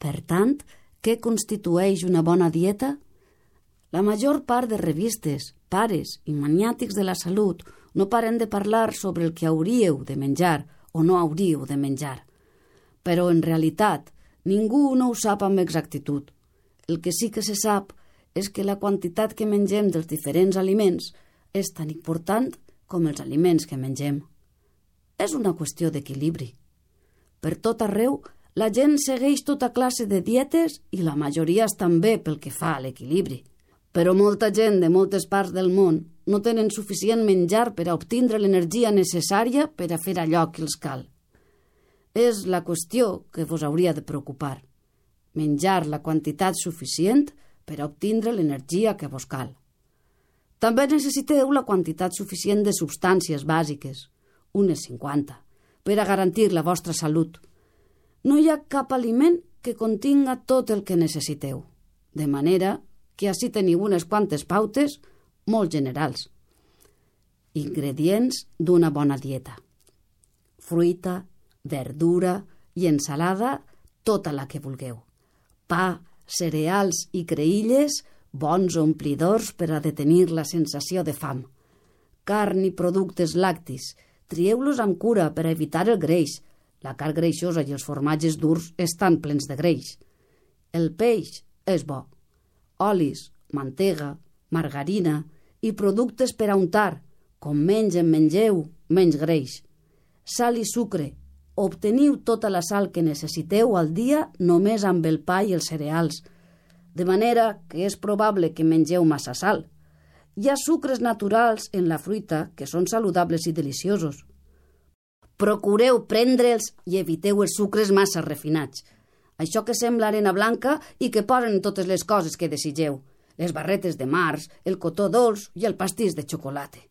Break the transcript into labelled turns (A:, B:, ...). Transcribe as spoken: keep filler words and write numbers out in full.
A: Per tant, què constitueix una bona dieta? La major part de revistes, pares i maniàtics de la salut no paren de parlar sobre el que hauríeu de menjar o no hauríeu de menjar. Però, en realitat, ningú no ho sap amb exactitud. El que sí que se sap és que la quantitat que mengem dels diferents aliments és tan important com els aliments que mengem. És una qüestió d'equilibri. Per tot arreu, la gent segueix tota classe de dietes i la majoria estan bé pel que fa a l'equilibri. Però molta gent de moltes parts del món no tenen suficient menjar per a obtindre l'energia necessària per a fer allò que els cal. És la qüestió que vos hauria de preocupar. Menjar la quantitat suficient per a obtindre l'energia que vos cal. També necessiteu la quantitat suficient de substàncies bàsiques, unes cinquanta, per a garantir la vostra salut. No hi ha cap aliment que continga tot el que necessiteu, de manera que així teniu unes quantes pautes molt generals. Ingredients d'una bona dieta. Fruita, verdura i ensalada, tota la que vulgueu. Pa, cereals i creïlles, bons omplidors per a detenir la sensació de fam. Carn i productes lactis, trieu-los amb cura per a evitar el greix. La carn greixosa i els formatges durs estan plens de greix. El peix és bo. Olis, mantega, margarina i productes per a untar. Com menys en mengeu, menys greix. Sal i sucre. Obteniu tota la sal que necessiteu al dia només amb el pa i els cereals, de manera que és probable que mengeu massa sal. Hi ha sucres naturals en la fruita que són saludables i deliciosos. Procureu prendre'ls i eviteu els sucres massa refinats. Això que sembla arena blanca i que posen totes les coses que desitgeu, les barretes de març, el cotó dolç i el pastís de xocolata.